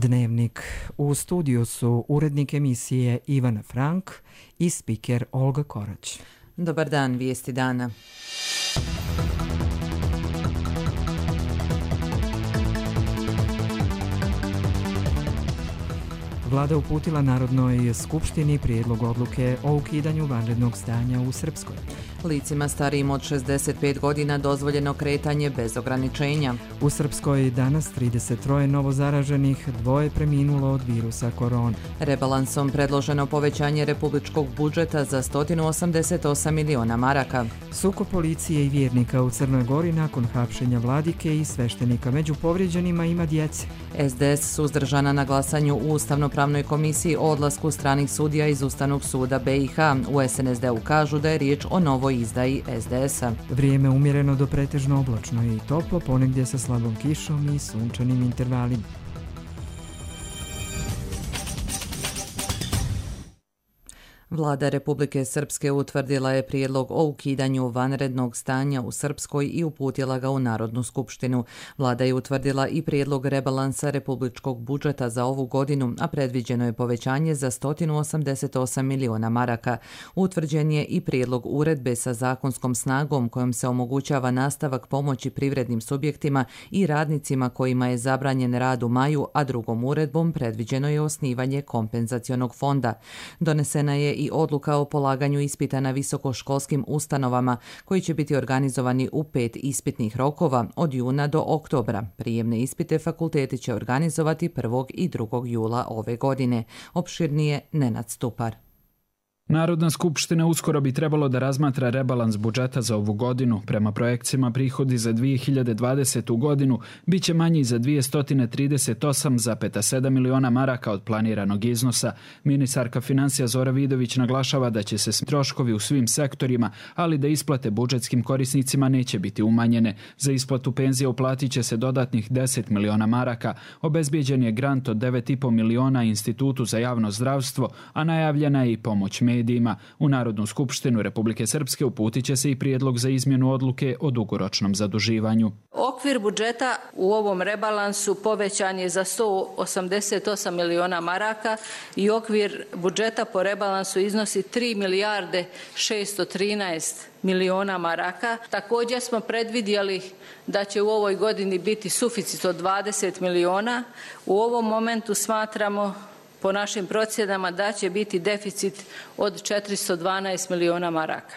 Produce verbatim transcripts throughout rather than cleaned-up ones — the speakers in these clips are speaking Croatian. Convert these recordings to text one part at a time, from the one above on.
Dnevnik. U studiju su urednik emisije Ivana Frank i spiker Olga Korać. Dobar dan, vijesti dana. Vlada uputila Narodnoj skupštini prijedlog odluke o ukidanju vanrednog stanja u Srpskoj. Licima starijim od šezdeset pet godina dozvoljeno kretanje bez ograničenja. U Srpskoj danas trideset tri novo zaraženih, dvoje preminulo od virusa korona. Rebalansom predloženo povećanje republičkog budžeta za sto osamdeset osam miliona maraka. Sukob policije i vjernika u Crnoj Gori nakon hapšenja vladike i sveštenika. Među povrijeđenima ima djece. S D S suzdržana na glasanju u Ustavno-pravnoj komisiji o odlasku stranih sudija iz Ustavnog suda B i H. U S N S D-u kažu da je riječ o novoj izdaji S D S-a. Vrijeme umjereno do pretežno oblačno i toplo, ponegdje sa slabom kišom i sunčanim intervalima. Vlada Republike Srpske utvrdila je prijedlog o ukidanju vanrednog stanja u Srpskoj i uputila ga u Narodnu skupštinu. Vlada je utvrdila i prijedlog rebalansa republičkog budžeta za ovu godinu, a predviđeno je povećanje za sto osamdeset osam miliona maraka. Utvrđen je i prijedlog uredbe sa zakonskom snagom kojom se omogućava nastavak pomoći privrednim subjektima i radnicima kojima je zabranjen rad u maju, a drugom uredbom predviđeno je osnivanje kompenzacionog fonda. Donesena je i odluka o polaganju ispita na visokoškolskim ustanovama koji će biti organizovani u pet ispitnih rokova od juna do oktobra. Prijemne ispite fakulteti će organizovati prvog i drugog jula ove godine. Opširnije Nenad Stupar. Narodna skupština uskoro bi trebalo da razmatra rebalans budžeta za ovu godinu. Prema projekcijama prihodi za dvije hiljade dvadesetu. godinu bit će manji za dvjesto trideset osam zarez sedam miliona maraka od planiranog iznosa. Ministarka financija Zora Vidović naglašava da će se troškovi u svim sektorima, ali da isplate budžetskim korisnicima neće biti umanjene. Za isplatu penzija uplatit će se dodatnih deset miliona maraka. Obezbijeđen je grant od devet i po miliona Institutu za javno zdravstvo, a najavljena je i pomoć medijima. U Narodnu skupštinu Republike Srpske uputit će se i prijedlog za izmjenu odluke o dugoročnom zaduživanju. Okvir budžeta u ovom rebalansu povećan je za sto osamdeset osam miliona maraka i okvir budžeta po rebalansu iznosi tri milijarde šesto trinaest miliona maraka. Također smo predvidjeli da će u ovoj godini biti suficit od dvadeset miliona. U ovom momentu smatramo po našim procjenama da će biti deficit od četiristo dvanaest miliona maraka.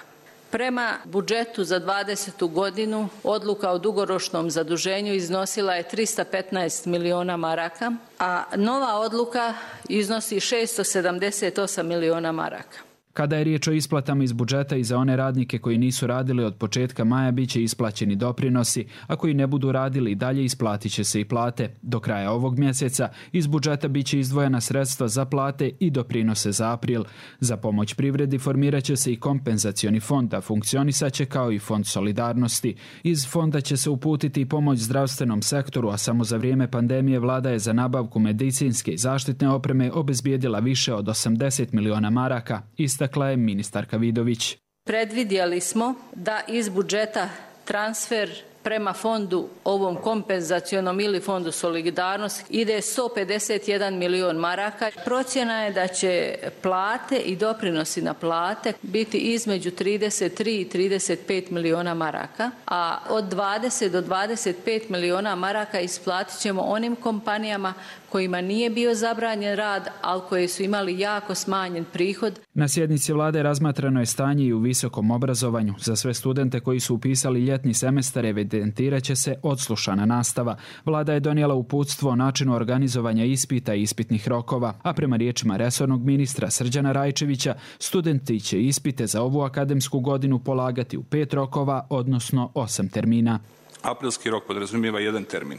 Prema budžetu za dvadesetu. godinu odluka o dugoročnom zaduženju iznosila je tristo petnaest miliona maraka, a nova odluka iznosi šesto sedamdeset osam miliona maraka. Kada je riječ o isplatama iz budžeta i za one radnike koji nisu radili od početka maja, bit će isplaćeni doprinosi, a koji ne budu radili i dalje isplatit će se i plate. Do kraja ovog mjeseca iz budžeta bit će izdvojena sredstva za plate i doprinose za april. Za pomoć privredi formirat će se i kompenzacioni fond, a funkcionisat će kao i fond solidarnosti. Iz fonda će se uputiti i pomoć zdravstvenom sektoru, a samo za vrijeme pandemije vlada je za nabavku medicinske i zaštitne opreme obezbijedila više od osamdeset miliona maraka. Ista Istakla je ministarka Vidović. Predvidjeli smo da iz budžeta transfer prema fondu ovom kompenzacionom ili fondu solidarnosti ide sto pedeset jedan milion maraka. Procjena je da će plate i doprinosi na plate biti između trideset tri i trideset pet miliona maraka, a od dvadeset do dvadeset pet miliona maraka isplatit ćemo onim kompanijama kojima nije bio zabranjen rad, ali koji su imali jako smanjen prihod. Na sjednici vlade razmatrano je stanje i u visokom obrazovanju. Za sve studente koji su upisali ljetni semestar evidentirat će se odslušana nastava. Vlada je donijela uputstvo o načinu organizovanja ispita i ispitnih rokova, a prema riječima resornog ministra Srđana Rajčevića, studenti će ispite za ovu akademsku godinu polagati u pet rokova, odnosno osam termina. Aprilski rok podrazumijeva jedan termin,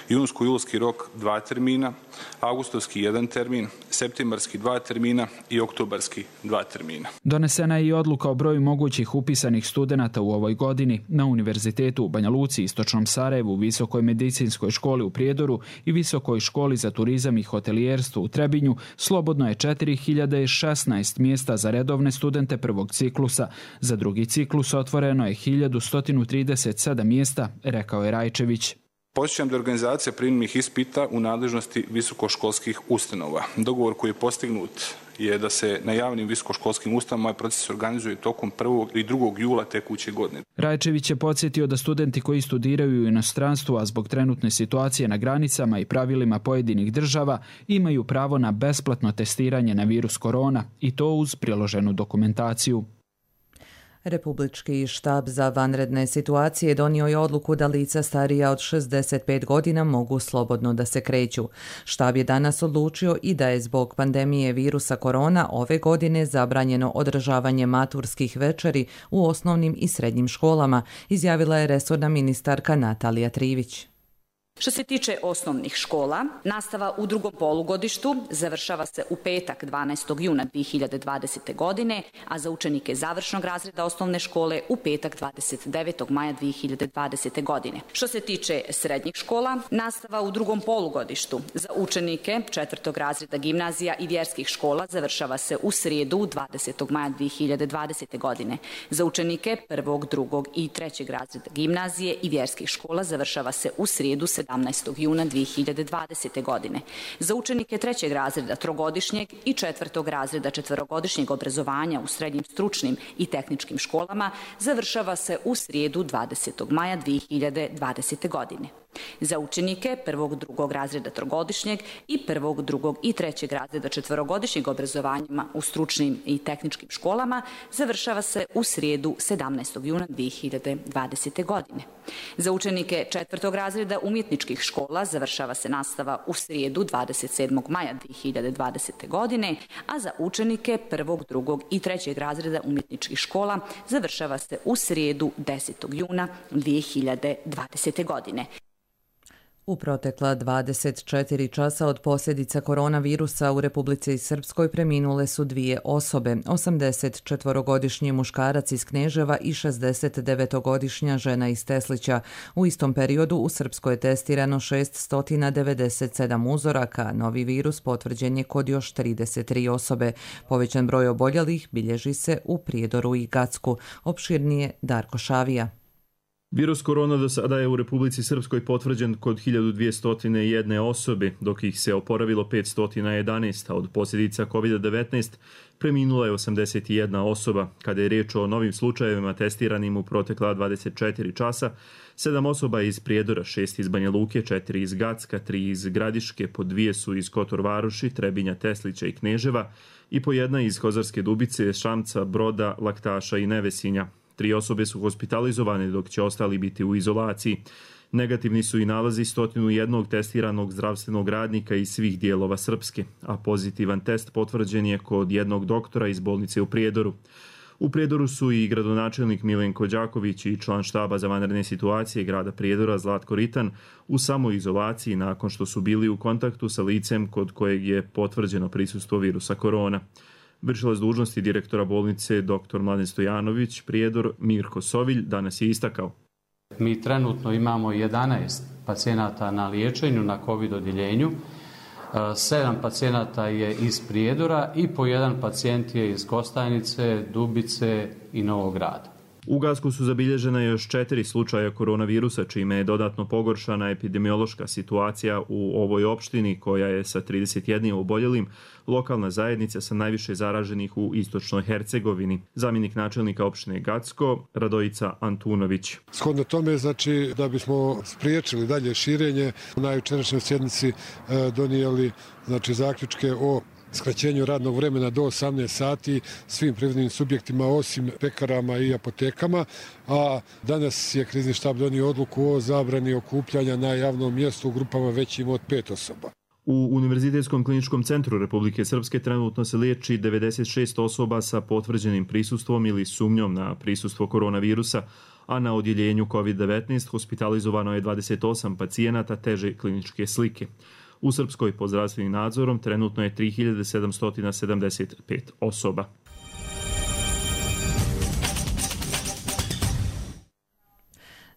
junsko-julski rok dva termina, avgustovski jedan termin, septembarski dva termina i oktobarski dva termina. Donesena je i odluka o broju mogućih upisanih studenata u ovoj godini. Na Univerzitetu u Banja Luci, Istočnom Sarajevu, Visokoj medicinskoj školi u Prijedoru i Visokoj školi za turizam i hotelijerstvo u Trebinju slobodno je četiri hiljade šesnaest mjesta za redovne studente prvog ciklusa. Za drugi ciklus otvoreno je hiljadu sto trideset sedam mjesta, rekao je Rajčević. Podsjećam da je organizacija prijemnih ispita u nadležnosti visokoškolskih ustanova. Dogovor koji je postignut je da se na javnim visokoškolskim ustanovama ovaj proces organizuje tokom prvog i drugog jula tekuće godine. Rajčević je podsjetio da studenti koji studiraju u inostranstvu, a zbog trenutne situacije na granicama i pravilima pojedinih država, imaju pravo na besplatno testiranje na virus korona i to uz priloženu dokumentaciju. Republički štab za vanredne situacije donio je odluku da lica starija od šezdeset pet godina mogu slobodno da se kreću. Štab je danas odlučio i da je zbog pandemije virusa korona ove godine zabranjeno održavanje maturskih večeri u osnovnim i srednjim školama, izjavila je resorna ministarka Natalija Trivić. Što se tiče osnovnih škola, nastava u drugom polugodištu završava se u petak dvanaestog juna dvije hiljade dvadesete. godine, a za učenike završnog razreda osnovne škole u petak dvadeset devetog maja dvije hiljade dvadesete. godine. Što se tiče srednjih škola, nastava u drugom polugodištu za učenike četvrtog razreda gimnazija i vjerskih škola završava se u srijedu dvadesetog maja dvije hiljade dvadesete. godine. Za učenike prvog, drugog i trećeg razreda gimnazije i vjerskih škola završava se u srijedu sedamnaestog juna dvije hiljade dvadesete. godine. Za učenike trećeg razreda trogodišnjeg i četvrtog razreda četverogodišnjeg obrazovanja u srednjim stručnim i tehničkim školama završava se u srijedu dvadesetog maja dvije hiljade dvadesete. godine. Za učenike prvog, drugog razreda trogodišnjeg i prvog, drugog i trećeg razreda četverogodišnjeg obrazovanja u stručnim i tehničkim školama završava se u srijedu sedamnaestog juna dvije hiljade dvadesete. godine. Za učenike četvrtog razreda umjetničkih škola završava se nastava u srijedu dvadeset sedmog maja dvije hiljade dvadesete. godine, a za učenike prvog, drugog i trećeg razreda umjetničkih škola završava se u srijedu desetog juna dvije hiljade dvadesete. godine. U protekla dvadeset četiri časa od posljedica koronavirusa u Republici Srpskoj preminule su dvije osobe, osamdeset četvorogodišnji muškarac iz Kneževa i šezdeset devetogodišnja žena iz Teslića. U istom periodu u Srpskoj je testirano šessto devedeset sedam uzoraka, novi virus potvrđen je kod još trideset tri osobe. Povećan broj oboljelih bilježi se u Prijedoru i Gacku. Opširnije Darko Šavija. Virus korona do sada je u Republici Srpskoj potvrđen kod hiljadu dvjesto jedan osobe, dok ih se oporavilo petsto jedanaest, a od posljedica kovid devetnaest preminula je osamdeset jedna osoba. Kada je riječ o novim slučajevima testiranim u protekla dvadeset četiri časa, sedam osoba iz Prijedora, šest iz Banja Luke, četiri iz Gacka, tri iz Gradiške, po dvije su iz Kotor Varoši, Trebinja, Teslića i Kneževa i po jedna iz Kozarske Dubice, Šamca, Broda, Laktaša i Nevesinja. Tri osobe su hospitalizovane, dok će ostali biti u izolaciji. Negativni su i nalazi sto jedan testiranog zdravstvenog radnika iz svih dijelova Srpske, a pozitivan test potvrđen je kod jednog doktora iz bolnice u Prijedoru. U Prijedoru su i gradonačelnik Milenko Đaković i član štaba za vanredne situacije grada Prijedora Zlatko Ritan u samoizolaciji nakon što su bili u kontaktu sa licem kod kojeg je potvrđeno prisustvo virusa korona. Vršilac dužnosti direktora bolnice dr. Mladen Stojanović, Prijedor, Mirko Sovilj, danas je istakao. Mi trenutno imamo jedanaest pacijenata na liječenju na COVID odjeljenju, sedam pacijenata je iz Prijedora i po jedan pacijent je iz Kostajnice, Dubice i Novog Grada. U Gacku su zabilježena još četiri slučaja koronavirusa, čime je dodatno pogoršana epidemiološka situacija u ovoj opštini, koja je sa trideset jednim oboljelim lokalna zajednica sa najviše zaraženih u istočnoj Hercegovini. Zamjenik načelnika opštine Gacko, Radojica Antunović. Shodno tome, znači, da bismo spriječili dalje širenje, na jučerašnjoj sjednici donijeli znači, zaključke o skraćenju radnog vremena do osamnaest sati svim privrednim subjektima osim pekarama i apotekama, a danas je krizni štab donio odluku o zabrani okupljanja na javnom mjestu u grupama većim od pet osoba. U Univerzitetskom kliničkom centru Republike Srpske trenutno se liječi devedeset šest osoba sa potvrđenim prisustvom ili sumnjom na prisustvo koronavirusa, a na odjeljenju COVID devetnaest hospitalizovano je dvadeset osam pacijenata teže kliničke slike. U Srpskoj pod zdravstvenim nadzorom trenutno je tri hiljade sedamsto sedamdeset pet osoba.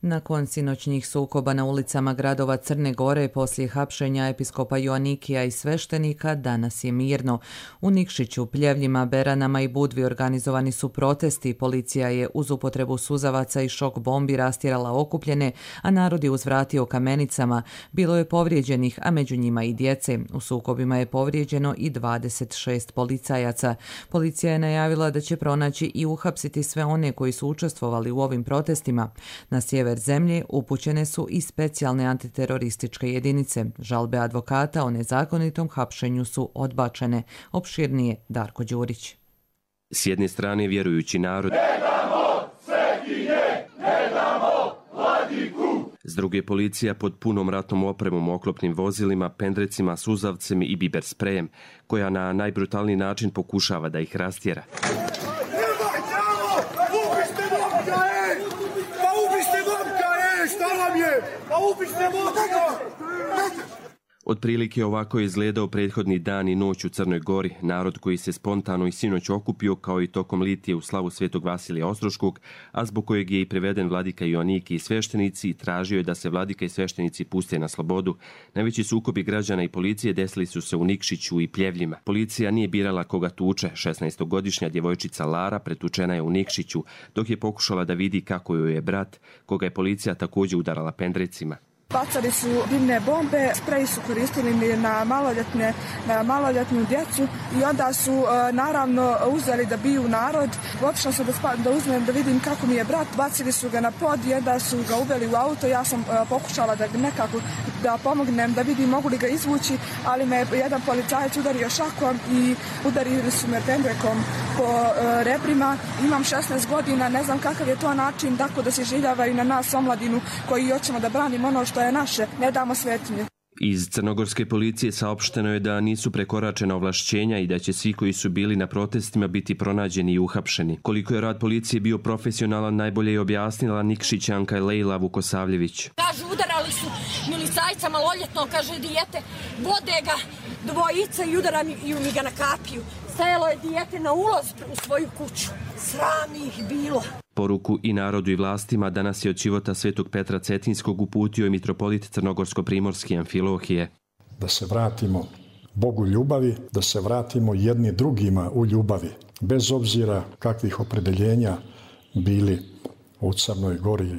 Nakon sinoćnjih sukoba na ulicama gradova Crne Gore poslije hapšenja episkopa Joanikija i sveštenika, danas je mirno. U Nikšiću, Pljevljima, Beranama i Budvi organizovani su protesti. Policija je uz upotrebu suzavaca i šok bombi rastjerala okupljene, a narod je uzvratio kamenicama. Bilo je povrijeđenih, a među njima i djece. U sukobima je povrijeđeno i dvadeset šest policajaca. Policija je najavila da će pronaći i uhapsiti sve one koji su učestvovali u ovim protestima. Na sjever zemlje upućene su i specijalne antiterorističke jedinice. Žalbe advokata o nezakonitom hapšenju su odbačene. Opširnije Darko Đurić. S jedne strane vjerujući narod, ne damo svetinje, ne damo vladiku. S druge policija pod punom ratnom opremom, oklopnim vozilima, pendrecima, suzavcem i biber sprejem, koja na najbrutalniji način pokušava da ih rastjera. Otprilike ovako je izgledao prethodni dan i noć u Crnoj Gori. Narod koji se spontano i sinoć okupio, kao i tokom litije u slavu Svetog Vasilija Ostroškog, a zbog kojeg je i preveden vladika Joaniki i sveštenici, tražio je da se vladika i sveštenici puste na slobodu. Najveći sukobi građana i policije desili su se u Nikšiću i Pljevljima. Policija nije birala koga tuče. šesnaestogodišnja djevojčica Lara pretučena je u Nikšiću, dok je pokušala da vidi kako joj je brat, koga je policija također udarala pendrecima. Bacali su dimne bombe, sprej su koristili na maloljetne, na maloljetnu djecu i onda su naravno uzeli da biju narod. Otišla sam da, spa, da uzmem da vidim kako mi je brat, bacili su ga na pod i onda su ga uveli u auto. Ja sam pokušala da nekako da pomognem, da vidim mogu li ga izvući, ali me jedan policajac udario šakom i udarili su me pendrekom po rebrima. Imam šesnaest godina, ne znam kakav je to način tako da se življavaju na nas omladinu koji hoćemo da branimo ono što je naše, ne damo svetinje. Iz crnogorske policije saopšteno je da nisu prekoračena ovlašćenja i da će svi koji su bili na protestima biti pronađeni i uhapšeni. Koliko je rad policije bio profesionalan, najbolje je objasnila Nikšićanka Lejla Vukosavljević. Kažu, udarali su milicajca maloljetno, kaže dijete, vode ga dvojica i udarami mi ga na kapiju. Stajalo je dijete na ulaz u svoju kuću. Sram ih bilo. Poruku i narodu i vlastima danas je od života Svetog Petra Cetinskog uputio i mitropolit Crnogorsko-primorski Amfilohije. Da se vratimo Bogu ljubavi, da se vratimo jedni drugima u ljubavi, bez obzira kakvih opredeljenja bili u Crnoj Gori,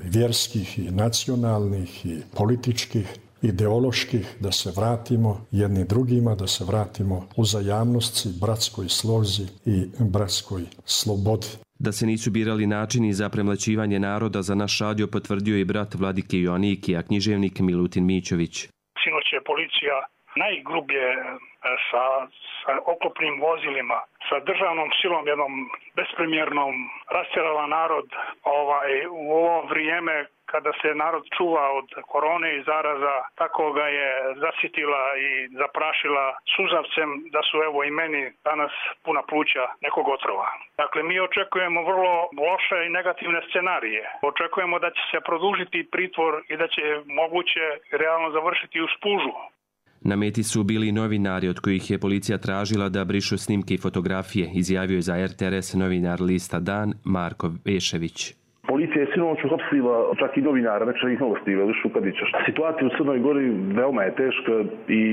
vjerskih i nacionalnih i političkih, ideoloških, da se vratimo jedni drugima, da se vratimo uzajamnosti, bratskoj slozi i bratskoj slobodi. Da se nisu birali načini za premlaćivanje naroda, za naš radio potvrdio i brat vladike Joaniki, a književnik Milutin Mićović. Sinoć je policija najgrublje sa, sa oklopnim vozilima, sa državnom silom jednom bespremjernom rastjerala narod ovaj, u ovo vrijeme kada se narod čuva od korone i zaraza, tako ga je zasitila i zaprašila suzavcem da su evo i meni danas puna pluća nekog otrova. Dakle, mi očekujemo vrlo loše i negativne scenarije. Očekujemo da će se produžiti pritvor i da će moguće realno završiti u spužu. Na meti su bili novinari od kojih je policija tražila da brišu snimke i fotografije, izjavio je za er te er es novinar lista Dan Marko Vešević. Policija je sinoć uhapsila čak i novinara Večernjih novosti Velišu Kadića. Situacija u Crnoj Gori veoma je teška i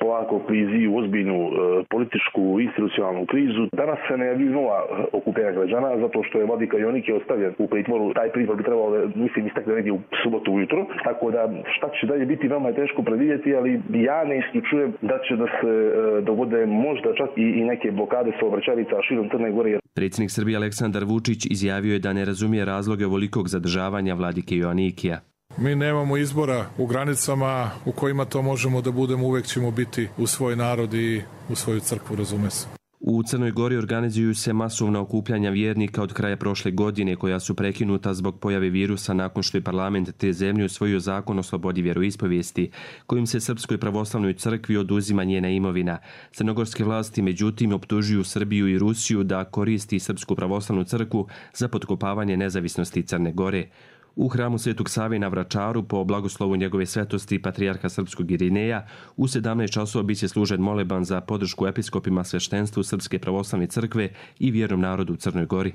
polako klizi u ozbiljnu e, političku institucionalnu krizu. Danas se najavljuju nova okupljenja građana zato što je vladika Joaniki ostavljen u pritvoru. Taj pritvor bi trebalo, mislim, istakne negdje u subotu ujutro. Tako da šta će dalje biti veoma je teško predvidjeti, ali ja ne isključujem da će da se e, dogode možda čak i, i neke blokade saobraćajnica širom Crne Gore. Predsjednik Srbije Aleksandar Vučić izjavio je da ne razumije razloge ovolikog zadržavanja vladike Joanikija. Mi nemamo izbora u granicama u kojima to možemo da budemo, uvek ćemo biti u svoj narod i u svoju crkvu, razume se. U Crnoj Gori organizuju se masovna okupljanja vjernika od kraja prošle godine, koja su prekinuta zbog pojave virusa nakon što je parlament te zemlje usvojio zakon o slobodi vjeroispovijesti, kojim se Srpskoj pravoslavnoj crkvi oduzima njena imovina. Crnogorske vlasti međutim optužuju Srbiju i Rusiju da koristi Srpsku pravoslavnu crkvu za potkopavanje nezavisnosti Crne Gore. U hramu Svetog Save na Vračaru, po blagoslovu njegove svetosti patrijarha srpskog Irineja, u sedamnaest časova biće služen moleban za podršku episkopima, sveštenstvu Srpske pravoslavne crkve i vjernom narodu u Crnoj Gori.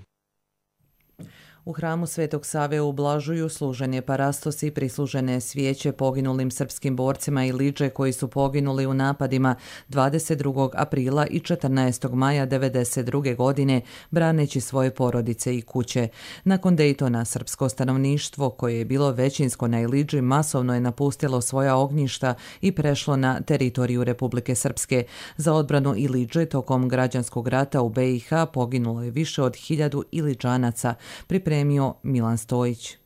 U hramu Svetog Save u Blažuju služen je parastos i prislužene svijeće poginulim srpskim borcima Iliđe koji su poginuli u napadima dvadeset drugog aprila i četrnaestog maja devedeset druge. godine braneći svoje porodice i kuće. Nakon Dejtona srpsko stanovništvo koje je bilo većinsko na Iliđi masovno je napustilo svoja ognjišta i prešlo na teritoriju Republike Srpske. Za odbranu Iliđe tokom građanskog rata u B i H poginulo je više od hiljadu Iliđanaca, pripremio Milan Stojić.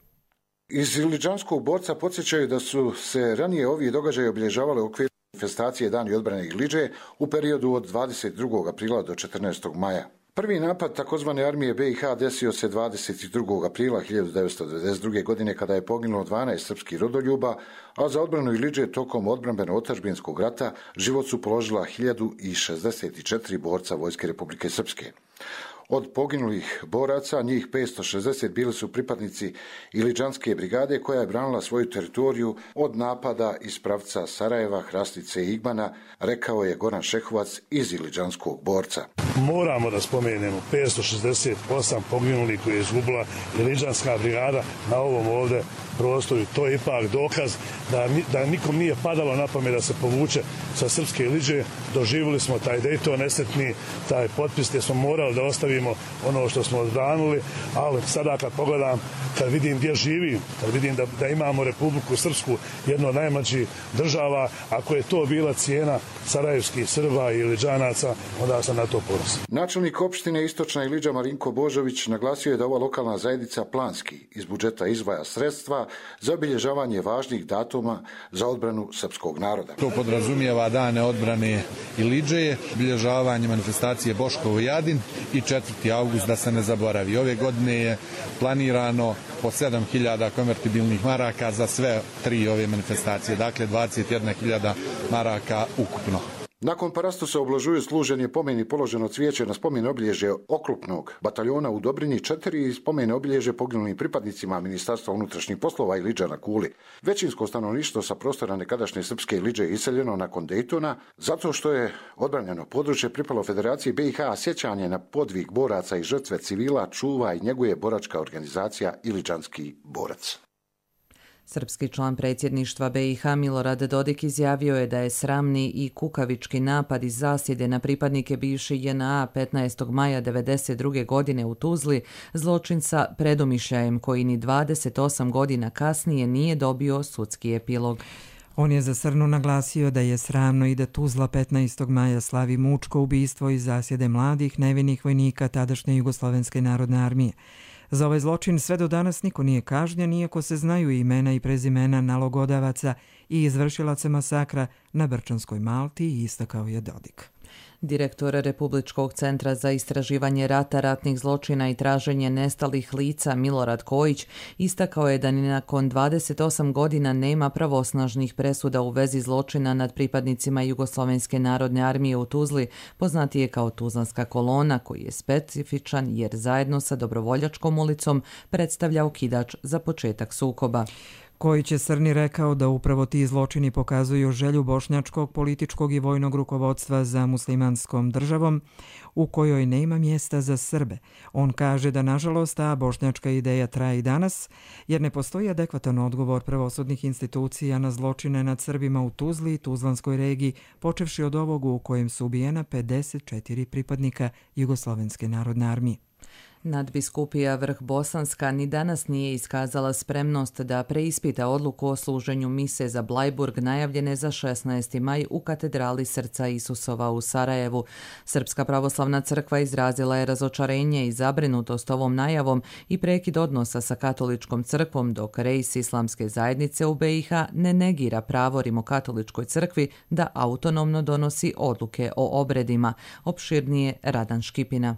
Iz Iliđanskog borca podsjećaju da su se ranije ovi događaji obilježavali u okviru manifestacije Dani odbrane Iliđe u periodu od dvadeset drugog aprila do četrnaestog maja. Prvi napad takozvane armije B i H desio se dvadeset drugog aprila hiljadu devetsto devedeset druge. godine kada je poginulo dvanaest srpskih rodoljuba, a za odbranu Iliđe tokom odbrambeno-otadžbinskog rata život su položila hiljadu šezdeset četiri borca Vojske Republike Srpske. Od poginulih boraca, njih petsto šezdeset bili su pripadnici Iliđanske brigade koja je branila svoju teritoriju od napada iz pravca Sarajeva, Hrastnice i Igmana, rekao je Goran Šehovac iz Iliđanskog borca. Moramo da spomenemo petsto šezdeset osam poginulih koje je izgubila Iliđanska brigada na ovom ovdje prostoru. To je ipak dokaz da, da nikom nije padalo na pamet da se povuče sa srpske Iliđe. Doživjeli smo taj Dejton nesretni, taj potpis gdje smo morali da ostavimo ono što smo odbranili, ali sada kad pogledam, kad vidim gdje živim, kad vidim da, da imamo Republiku Srpsku, jedno od najmlađih država, ako je to bila cijena sarajevskih Srba i Iliđanaca, onda sam na to ponosan. Načelnik opštine Istočna Iliđa Marinko Božović naglasio je da ova lokalna zajednica planski iz budžeta izdvaja sredstva za obilježavanje važnih datuma za odbranu srpskog naroda. To podrazumijeva dane odbrane Iliđe, obilježavanje manifestacije Boškovo Jadin i četvrti avgust, da se ne zaboravi. Ove godine je planirano po sedam hiljada konvertibilnih maraka za sve tri ove manifestacije, dakle dvadeset jedna hiljada maraka ukupno. Nakon parastosa u Blažuju služen je pomen i položeno cvijeće na spomen obilježje oklopnog bataljona u Dobrinji četiri i spomen obilježje poginulim pripadnicima Ministarstva unutrašnjih poslova Iliđa na Kuli. Većinsko stanovništvo sa prostora nekadašnje srpske Iliđe je iseljeno nakon Dejtona zato što je odbranjeno područje pripalo Federaciji B i H, a sjećanje na podvig boraca i žrtve civila čuva i njeguje boračka organizacija Iliđanski borac. Srpski član predsjedništva B i H Milorad Dodik izjavio je da je sramni i kukavički napad iz zasjede na pripadnike bivše J N A petnaestog maja devedeset druge. godine u Tuzli zločin sa predomišljajem koji ni dvadeset osam godina kasnije nije dobio sudski epilog. On je za Srnu naglasio da je sramno i da Tuzla petnaestog maja slavi mučko ubistvo iz zasjede mladih nevinih vojnika tadašnje Jugoslovenske narodne armije. Za ovaj zločin sve do danas niko nije kažnjen, iako se znaju imena i prezimena nalogodavaca i izvršilaca masakra na Brčanskoj Malti, istakao je Dodik. Direktor Republičkog centra za istraživanje rata, ratnih zločina i traženje nestalih lica Milorad Kojić istakao je da ni nakon dvadeset osam godina nema pravosnažnih presuda u vezi zločina nad pripadnicima Jugoslovenske narodne armije u Tuzli, poznatije kao Tuzlanska kolona, koji je specifičan jer zajedno sa Dobrovoljačkom ulicom predstavlja okidač za početak sukoba. Kojić je Srni rekao da upravo ti zločini pokazuju želju bošnjačkog političkog i vojnog rukovodstva za muslimanskom državom u kojoj nema mjesta za Srbe. On kaže da nažalost ta bošnjačka ideja traje i danas jer ne postoji adekvatan odgovor pravosudnih institucija na zločine nad Srbima u Tuzli i Tuzlanskoj regiji, počevši od ovog u kojem su ubijena pedeset četiri pripadnika Jugoslovenske narodne armije. Nadbiskupija Vrh Bosanska ni danas nije iskazala spremnost da preispita odluku o služenju mise za Blajburg najavljene za šesnaesti maj u katedrali Srca Isusova u Sarajevu. Srpska pravoslavna crkva izrazila je razočarenje i zabrinutost ovom najavom i prekid odnosa sa katoličkom crkvom, dok Rejs Islamske zajednice u B i H ne negira pravo Rimokatoličkoj crkvi da autonomno donosi odluke o obredima. Opširnije Radan Škipina.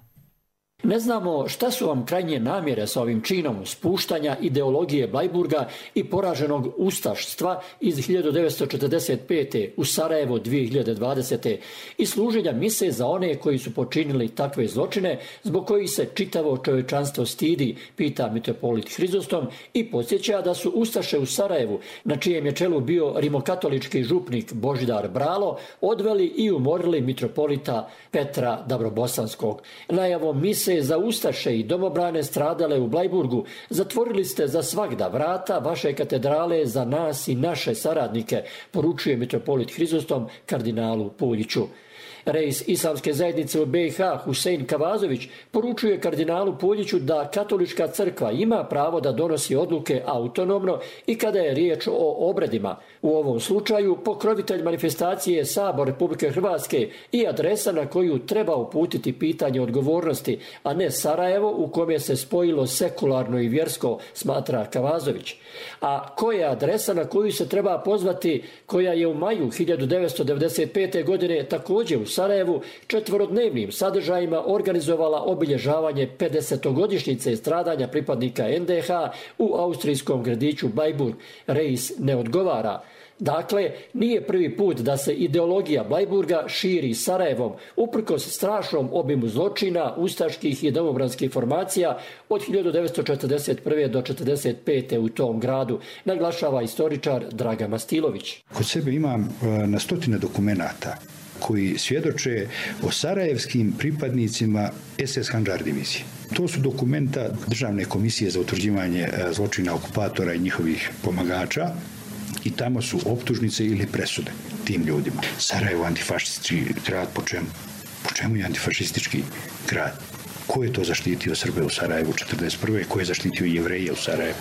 Ne znamo šta su vam krajnje namjere sa ovim činom spuštanja ideologije Blajburga i poraženog ustaštva iz hiljadu devetsto četrdeset pete. u Sarajevo dvije hiljade dvadesete. i služenja mise za one koji su počinili takve zločine zbog kojih se čitavo čovječanstvo stidi, pita mitropolit Hrizostom i podsjeća da su ustaše u Sarajevu, na čijem je čelu bio rimokatolički župnik Božidar Bralo, odveli i umorili mitropolita Petra Dabrobosanskog. Najavom mise se za ustaše i domobrane stradale u Blajburgu zatvorili ste za svagda vrata vaše katedrale za nas i naše saradnike, poručuje mitropolit Hrizostom kardinalu Puljiću. Reis Islamske zajednice u B i H Husein Kavazović poručuje kardinalu Puljiću da katolička crkva ima pravo da donosi odluke autonomno i kada je riječ o obredima. U ovom slučaju pokrovitelj manifestacije je Sabor Republike Hrvatske i adresa na koju treba uputiti pitanje odgovornosti, a ne Sarajevo u kome se spojilo sekularno i vjersko, smatra Kavazović. A koja je adresa na koju se treba pozvati, koja je u maju hiljadu devetsto devedeset pete. godine također u Sarajevu četvorodnevnim sadržajima organizovala obilježavanje pedesetogodišnjice stradanja pripadnika N D H u austrijskom gradiću Blajburg. Reis ne odgovara. Dakle, nije prvi put da se ideologija Blajburga širi Sarajevom, uprkos strašnom obimu zločina, ustaških i domobranskih formacija od hiljadu devetsto četrdeset prve. do četrdeset pete. u tom gradu, naglašava istoričar Dragan Mastilović. Kod sebe imam na stotine dokumenata koji svjedoče o sarajevskim pripadnicima S S Handžar divizije. To su dokumenta Državne komisije za utvrđivanje zločina okupatora i njihovih pomagača i tamo su optužnice ili presude tim ljudima. Sarajevo antifašistički grad, po čemu? Po čemu je antifašistički grad? Ko je to zaštitio Srbe u Sarajevu četrdeset prve. Ko je zaštitio Jevreje u Sarajevu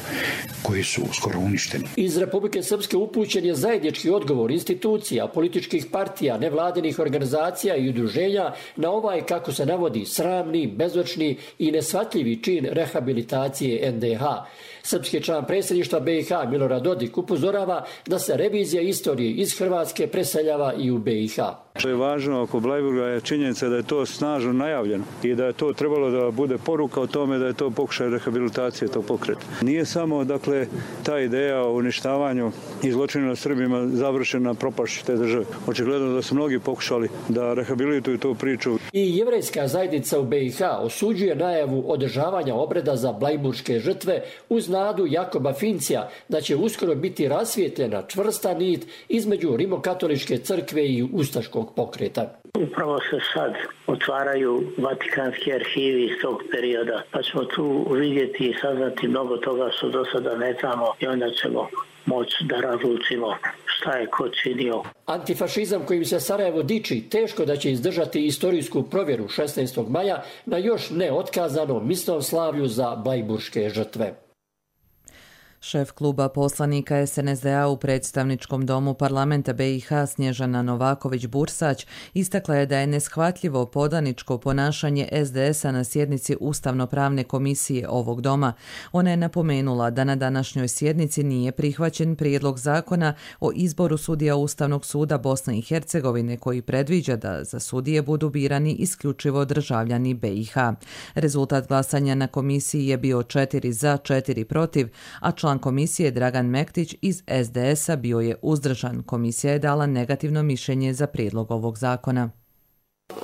koji su skoro uništeni? Iz Republike Srpske upućen je zajednički odgovor institucija, političkih partija, nevladinih organizacija i udruženja na ovaj, kako se navodi, sramni, bezočni i neshvatljivi čin rehabilitacije N D H. Srpski član predsjedništva B i H Milorad Dodik upozorava da se revizija istorije iz Hrvatske preseljava i u B i H. Što je važno oko Blajburga je činjenica da je to snažno najavljeno i da je to trebalo da bude poruka o tome da je to pokušaj rehabilitacije tog pokreta. Nije samo, dakle, ta ideja o uništavanju i zločinu nad Srbima završena propašću te države. Očigledno da su mnogi pokušali da rehabilituju tu priču. I jevrejska zajednica u B i H osuđuje najavu održavanja obreda za blajburške žrtve uz nadu Jakoba Fincija da će uskoro biti rasvijetljena čvrsta nit između rimokatoličke crkve i ustaškog pokreta. Upravo se sad otvaraju vatikanski arhivi iz tog perioda, pa ćemo tu vidjeti i saznati mnogo toga što do sada ne znamo i onda ćemo moći da razlučimo šta je ko činio. Antifašizam kojim se Sarajevo diči teško da će izdržati istorijsku provjeru šesnaestog maja na još neotkazanom misnom slavlju za blajburške žrtve. Šef kluba poslanika S N S D A u predstavničkom domu parlamenta B i H Snježana Novaković-Bursać istakla je da je neshvatljivo podaničko ponašanje S D S-a na sjednici Ustavno-pravne komisije ovog doma. Ona je napomenula da na današnjoj sjednici nije prihvaćen prijedlog zakona o izboru sudija Ustavnog suda Bosne i Hercegovine koji predviđa da za sudije budu birani isključivo državljani B i H. Rezultat glasanja na komisiji je bio četiri za, četiri protiv, a član Član komisije Dragan Mektić iz S D S-a bio je uzdržan. Komisija je dala negativno mišljenje za prijedlog ovog zakona.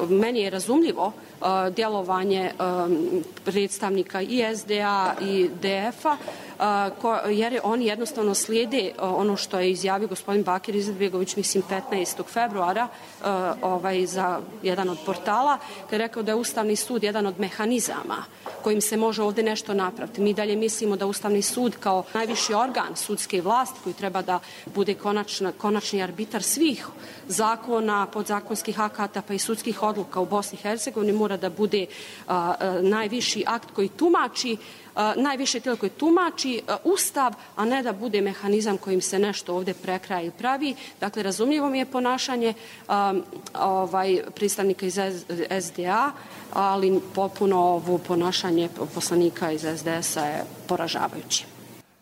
Meni je razumljivo uh, djelovanje um, predstavnika i S D A i D F-a uh, ko, jer oni jednostavno slijede uh, ono što je izjavio gospodin Bakir Izetbegović, mislim petnaestog februara uh, ovaj, za jedan od portala, kada je rekao da je Ustavni sud jedan od mehanizama kojim se može ovdje nešto napraviti. Mi dalje mislimo da Ustavni sud kao najviši organ sudske vlasti koji treba da bude konačna, konačni arbitar svih zakona, podzakonskih akata pa i sudskih odluka u Bosni i Hercegovini mora da bude a, a, najviši akt koji tumači, a, najviše tijelo koji tumači a, Ustav, a ne da bude mehanizam kojim se nešto ovdje prekraja i pravi. Dakle, razumljivo mi je ponašanje a, ovaj, predstavnika iz S D A, ali potpuno ovo ponašanje poslanika iz S D S-a je poražavajuće.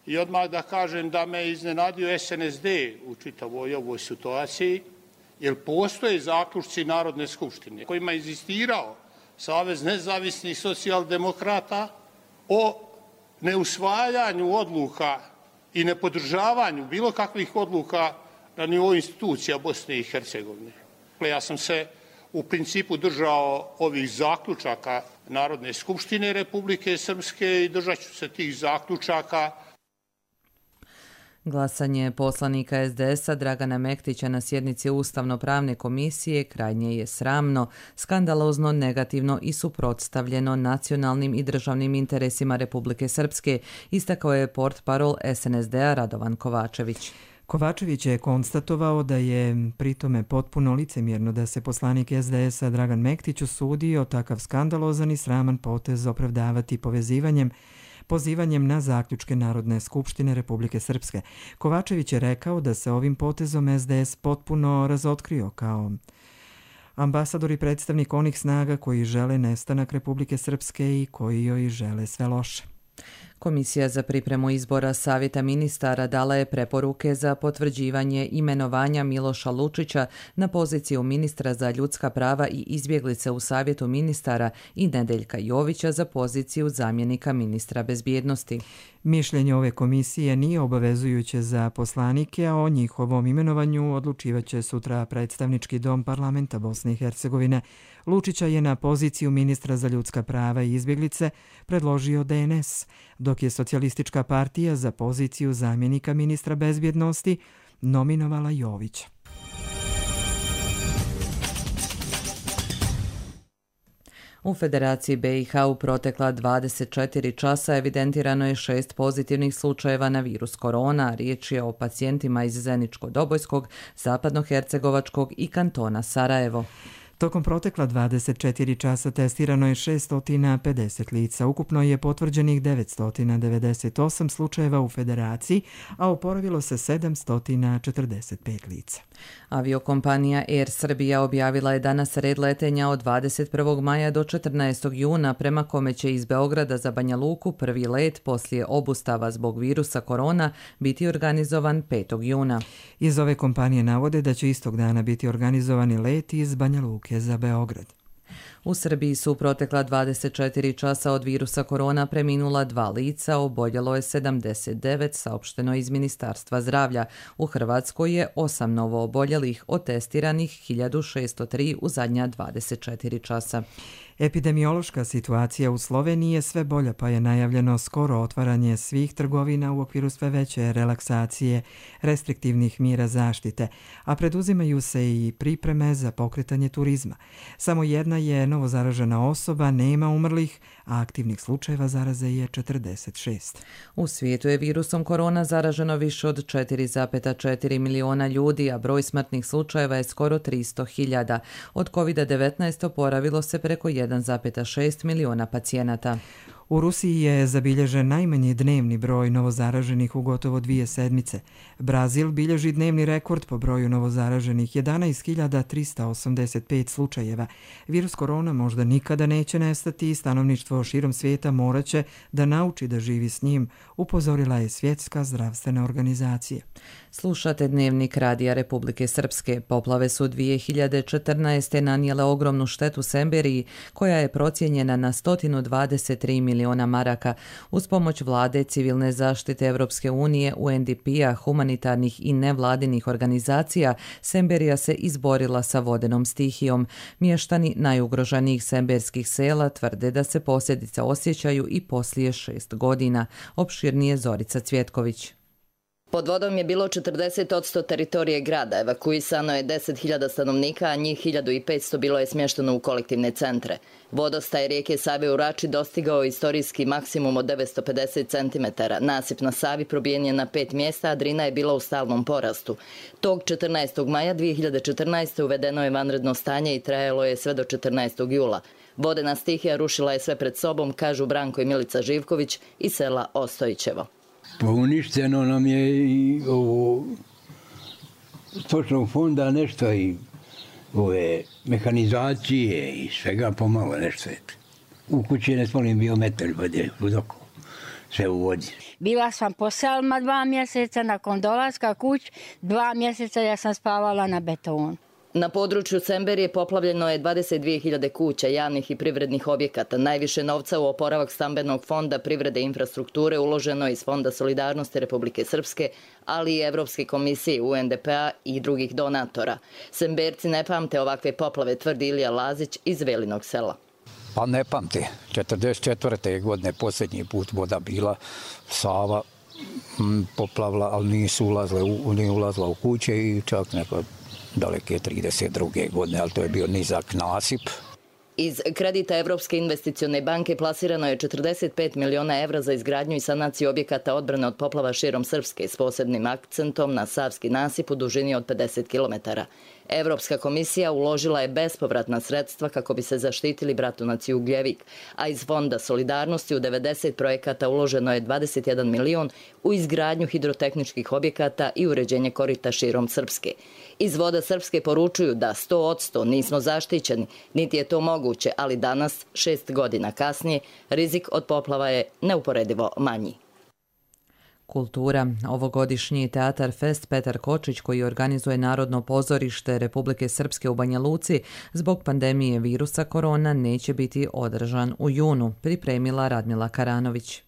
I odmah da kažem da me iznenadio S N S D u čitavoj ovoj situaciji, jer postoje zaključci Narodne skupštine kojima je inzistirao Savez nezavisnih socijaldemokrata o neusvajanju odluka i nepodržavanju bilo kakvih odluka na nivou institucija Bosne i Hercegovine. Ja sam se u principu držao ovih zaključaka Narodne skupštine Republike Srpske i držat ću se tih zaključaka. Glasanje poslanika es de es a Dragana Mektića na sjednici Ustavno-pravne komisije krajnje je sramno, skandalozno, negativno i suprotstavljeno nacionalnim i državnim interesima Republike Srpske, istakao je portparol es en es de a Radovan Kovačević. Kovačević je konstatovao da je pritome potpuno licemjerno da se poslanik es de es a Dragan Mektić usudio takav skandalozan i sraman potez opravdavati povezivanjem pozivanjem na zaključke Narodne skupštine Republike Srpske. Kovačević je rekao da se ovim potezom es de es potpuno razotkrio kao ambasador i predstavnik onih snaga koji žele nestanak Republike Srpske i koji joj žele sve loše. Komisija za pripremu izbora Savjeta ministara dala je preporuke za potvrđivanje imenovanja Miloša Lučića na poziciju ministra za ljudska prava i izbjeglice u Savjetu ministara i Nedeljka Jovića za poziciju zamjenika ministra bezbjednosti. Mišljenje ove komisije nije obavezujuće za poslanike, a o njihovom imenovanju odlučivaće sutra predstavnički dom parlamenta Bosne i Hercegovine. Lučića je na poziciju ministra za ljudska prava i izbjeglice predložio de en es, dok je Socijalistička partija za poziciju zamjenika ministra bezbjednosti nominovala Jovića. U Federaciji be i ha u protekla dvadeset četiri časa evidentirano je šest pozitivnih slučajeva na virus korona. Riječ je o pacijentima iz Zeničko-Dobojskog, Zapadnohercegovačkog i kantona Sarajevo. Tokom protekla dvadeset četiri časa testirano je šesto pedeset lica. Ukupno je potvrđenih devetsto devedeset osam slučajeva u Federaciji, a oporavilo se sedamsto četrdeset pet lica. Aviokompanija Air Srbija objavila je danas red letenja od dvadeset prvog maja do četrnaestog juna, prema kome će iz Beograda za Banja Luku prvi let poslije obustava zbog virusa korona biti organizovan petog juna. Iz ove kompanije navode da će istog dana biti organizovani let iz Banja Luke za Beograd. U Srbiji su protekla dvadeset četiri časa od virusa korona preminula dva lica, oboljelo je sedamdeset devet, saopšteno iz Ministarstva zdravlja. U Hrvatskoj je osam novo oboljelih, od testiranih hiljadu šesto tri u zadnja dvadeset četiri časa. Epidemiološka situacija u Sloveniji je sve bolja, pa je najavljeno skoro otvaranje svih trgovina u okviru sve veće relaksacije restriktivnih mjera zaštite, a preduzimaju se i pripreme za pokretanje turizma. Samo jedna je novozaražena osoba, nema umrlih, a aktivnih slučajeva zaraze je četrdeset šest. U svijetu je virusom korona zaraženo više od četiri zarez četiri miliona ljudi, a broj smrtnih slučajeva je skoro tristo hiljada. Od kovid devetnaest oporavilo se preko jedan zarez šest miliona pacijenata. U Rusiji je zabilježen najmanji dnevni broj novozaraženih u gotovo dvije sedmice. Brazil bilježi dnevni rekord po broju novozaraženih jedanaest hiljada trista osamdeset pet slučajeva. Virus korona možda nikada neće nestati i stanovništvo širom svijeta moraće da nauči da živi s njim, upozorila je Svjetska zdravstvena organizacija. Slušate Dnevnik Radija Republike Srpske. Poplave su dvije hiljade četrnaeste. nanijele ogromnu štetu Semberiji, koja je procijenjena na sto dvadeset tri miliona maraka. Uz pomoć vlade, civilne zaštite Evropske unije, u en de pe-a, humanitarnih i nevladinih organizacija, Semberija se izborila sa vodenom stihijom. Mještani najugroženijih semberskih sela tvrde da se posljedice osjećaju i poslije šest godina. Opširnije Zorica Cvjetković. Pod vodom je bilo četrdeset posto teritorije grada, evakuisano je deset hiljada stanovnika, a njih hiljadu petsto bilo je smješteno u kolektivne centre. Vodostaj rijeke Save u Rači dostigao istorijski maksimum od devetsto pedeset centimetara. Nasip na Savi probijen je na pet mjesta, a Drina je bila u stalnom porastu. Tog četrnaestog maja dvije hiljade četrnaeste. uvedeno je vanredno stanje i trajalo je sve do četrnaestog jula. Vodena stihija rušila je sve pred sobom, kažu Branko i Milica Živković iz sela Ostojićevo. Pa uništeno nam je i ovo stočnog fonda nešto i ove mehanizacije i svega pomalo nešto je. U kući ne smolim bio metar vode u doku, sve u vodi. Bila sam po selima dva mjeseca, nakon dolaska kuć dva mjeseca ja sam spavala na betonu. Na području Semberije poplavljeno je dvadeset dvije hiljade kuća, javnih i privrednih objekata. Najviše novca u oporavak stambenog fonda privrede i infrastrukture uloženo iz Fonda solidarnosti Republike Srpske, ali i Evropske komisije, u en de pe-a i drugih donatora. Semberci ne pamte ovakve poplave, tvrdi Ilija Lazić iz Velinog sela. Pa ne pamte. četrdeset četvrte godine posljednji put voda bila, Sava poplavila, ali nisu ulazile, u, nije ulazila u kuće i čak neko daleke trideset druge godine, ali to je bio nizak nasip. Iz kredita Evropske investicione banke plasirano je četrdeset pet miliona evra za izgradnju i sanaciju objekata odbrane od poplava širom Srpske s posebnim akcentom na Savski nasip u dužini od pedeset kilometara. Evropska komisija uložila je bespovratna sredstva kako bi se zaštitili bratunac Ugljevik, a iz Fonda solidarnosti u devedeset projekata uloženo je dvadeset jedan milion u izgradnju hidrotehničkih objekata i uređenje korita širom Srpske. Iz Voda Srpske poručuju da sto posto nismo zaštićeni, niti je to moguće, ali danas, šest godina kasnije, rizik od poplava je neuporedivo manji. Kultura. Ovogodišnji Teatar Fest Petar Kočić, koji organizuje Narodno pozorište Republike Srpske u Banja Luci, zbog pandemije virusa korona neće biti održan u junu, pripremila Radmila Karanović.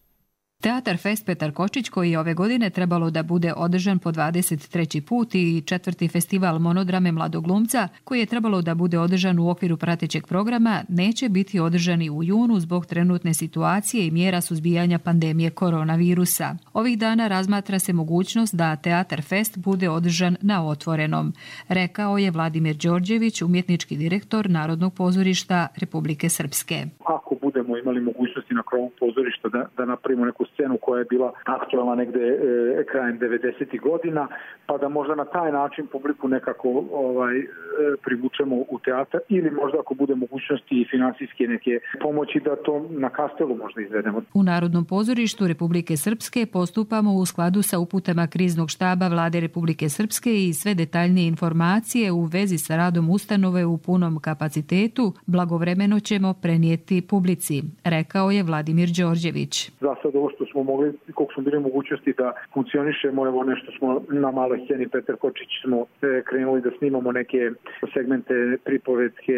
Teatar Fest Petar Kočić, koji je ove godine trebalo da bude održan po dvadeset treći put, i četvrti festival monodrame Mladog glumca, koji je trebalo da bude održan u okviru pratećeg programa, neće biti održani u junu zbog trenutne situacije i mjera suzbijanja pandemije koronavirusa. Ovih dana razmatra se mogućnost da Teatar Fest bude održan na otvorenom, rekao je Vladimir Đorđević, umjetnički direktor Narodnog pozorišta Republike Srpske. Ako budemo imali mogućnosti na krovu pozorišta da, da napravimo neku scenu koja je bila aktualna negde e, krajem devedesetih godina, pa da možda na taj način publiku nekako ovaj, e, privučemo u teatar, ili možda ako bude mogućnosti i finansijske neke pomoći da to na Kastelu možda izvedemo. U Narodnom pozorištu Republike Srpske postupamo u skladu sa uputama kriznog štaba Vlade Republike Srpske i sve detaljnije informacije u vezi sa radom ustanove u punom kapacitetu blagovremeno ćemo prenijeti publici, rekao je Vladimir Đorđević. Za sad ovo što smo mogli, koliko smo bili mogućnosti da funkcionišemo, evo nešto smo na maloj sceni Petar Kočić smo krenuli da snimamo neke segmente pripovetke,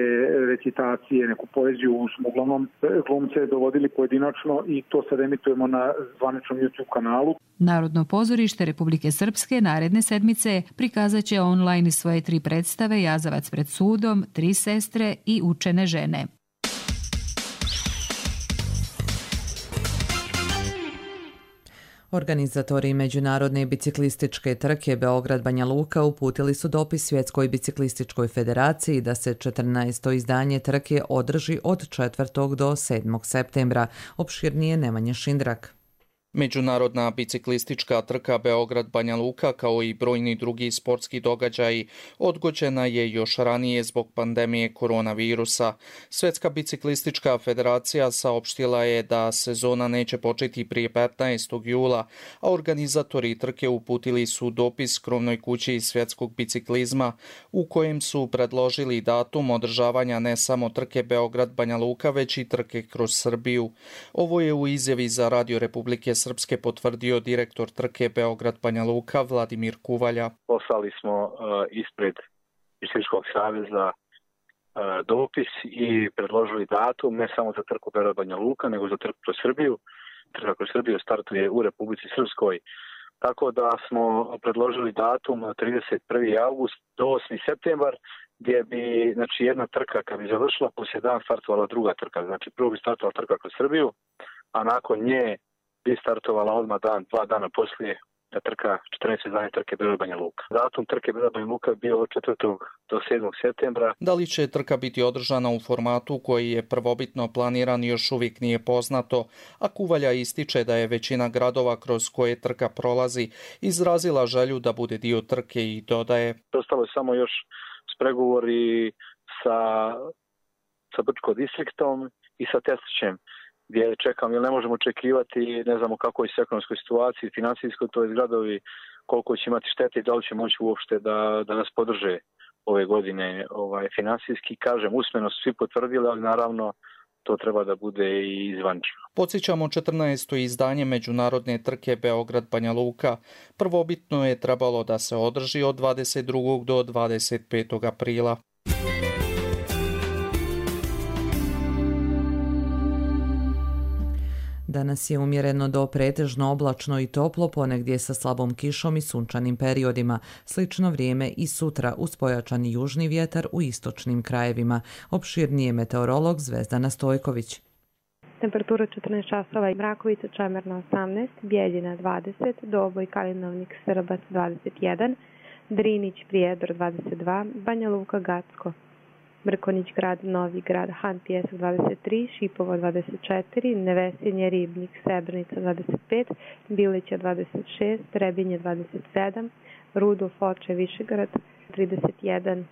recitacije, neku poeziju, smo uglavnom glumce dovodili pojedinačno i to sad emitujemo na zvaničnom YouTube kanalu. Narodno pozorište Republike Srpske naredne sedmice prikazat će online svoje tri predstave Jazavac pred sudom, Tri sestre i Učene žene. Organizatori Međunarodne biciklističke trke Beograd-Banja Luka uputili su dopis Svjetskoj biciklističkoj federaciji da se četrnaesto izdanje trke održi od četvrtog do sedmog septembra. Opširnije Nemanja Šindrak. Međunarodna biciklistička trka Beograd-Banja Luka, kao i brojni drugi sportski događaji, odgođena je još ranije zbog pandemije koronavirusa. Svjetska biciklistička federacija saopštila je da sezona neće početi prije petnaestog jula, a organizatori trke uputili su dopis krovnoj kući svjetskog biciklizma u kojem su predložili datum održavanja ne samo trke Beograd-Banja Luka, već i trke kroz Srbiju. Ovo je u izjavi za Radio Republike Srpske potvrdio direktor trke Beograd-Banja Luka Vladimir Kuvalja. Poslali smo uh, ispred Biciklističkog saveza uh, dopis i predložili datum ne samo za trku Beograd-Banja Luka, nego za trku kroz Srbiju. Trka kroz Srbiju startuje u Republici Srpskoj. Tako da smo predložili datum trideset prvi avgust do osmi septembar, gdje bi znači, jedna trka kad bi završila, poslije dan startovala druga trka. Znači prvo bi startovala trka kroz Srbiju, a nakon nje bi startovala odmah dan, dva dana poslije trka četrnaeste izdanje trke Beograd-Banja Luka. Datum trke Beograd-Banja Luka bio od četvrtog do sedmog septembra. Da li će trka biti održana u formatu koji je prvobitno planiran još uvijek nije poznato, a Kuvalja ističe da je većina gradova kroz koje trka prolazi izrazila želju da bude dio trke i dodaje. Ostalo je samo još spregovori sa, sa Brčko distriktom i sa Testićem, gdje čekam, jer ne možemo očekivati, ne znamo kako je s ekonomskoj situaciji, financijskoj, to je gradovi, koliko će imati štete i da li će moći uopšte da, da nas podrže ove godine ovaj, finansijski. Kažem, usmeno su svi potvrdili, ali naravno to treba da bude i zvanično. Podsjećamo četrnaesto izdanje međunarodne trke Beograd-Banja Luka. Prvobitno je trebalo da se održi od dvadeset drugog do dvadeset petog aprila. Danas je umjereno do pretežno oblačno i toplo, ponegdje sa slabom kišom i sunčanim periodima. Slično vrijeme i sutra uz pojačani južni vjetar u istočnim krajevima. Opširnije meteorolog Zvezdana Stojković. temperatura četrnaest časova, Mrakovica, Čemerna osamnaest, Bijeljina dvadeset, Doboj, Kalinovnik, Srbac dvadeset jedan, Drinić, Prijedor dvadeset dva, Banja Luka, Gacko, Mrkonjić Grad, Novi Grad, Han Pijesak dvadeset tri, Šipovo dvadeset četiri, Nevesinje, Ribnik, Srebrenica dvadeset pet, Bilića dvadeset šest, Trebinje dvadeset sedam, Rudo, Foče, Višegrad trideset jedan.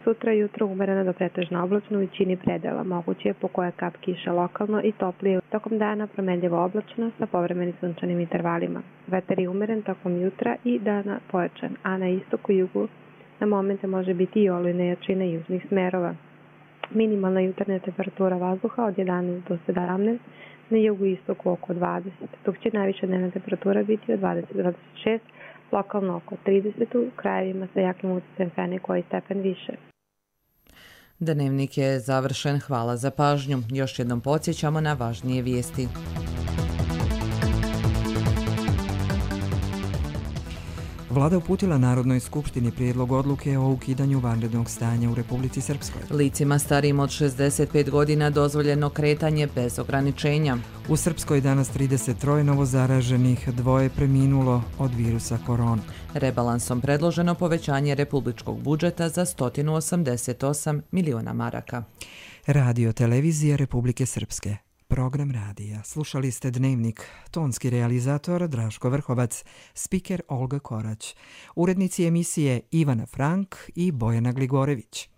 Sutra jutro umereno do pretežno oblačno u većini predela. Moguće je po koje kap kiša lokalno i toplije. Tokom dana promenljivo oblačno sa povremenim sunčanim intervalima. Vetar je umeren tokom jutra i dana pojačan, a na istoku i jugu na momente može biti i olujne jačine južnih smerova. Minimalna jutarnja temperatura vazduha od jedanaest do sedamnaest, na jugu i istoku oko dvadeset, dok će najviša dnevna temperatura biti od dvadeset do dvadeset šest, lokalno oko trideset, u krajevima sa jakim utjecajem fene koji stepen više. Dnevnik je završen. Hvala za pažnju. Još jednom podsjećamo na važnije vijesti. Vlada uputila Narodnoj skupštini prijedlog odluke o ukidanju vanrednog stanja u Republici Srpskoj. Licima starijim od šezdeset pet godina dozvoljeno kretanje bez ograničenja. U Srpskoj danas trideset tri novozaraženih, dvoje preminulo od virusa korona. Rebalansom predloženo povećanje republičkog budžeta za sto osamdeset osam miliona maraka. Radio televizija Republike Srpske. Program radija. Slušali ste Dnevnik. Tonski realizator Draško Vrhovac, spiker Olga Korać, urednici emisije Ivana Frank i Bojana Gligorević.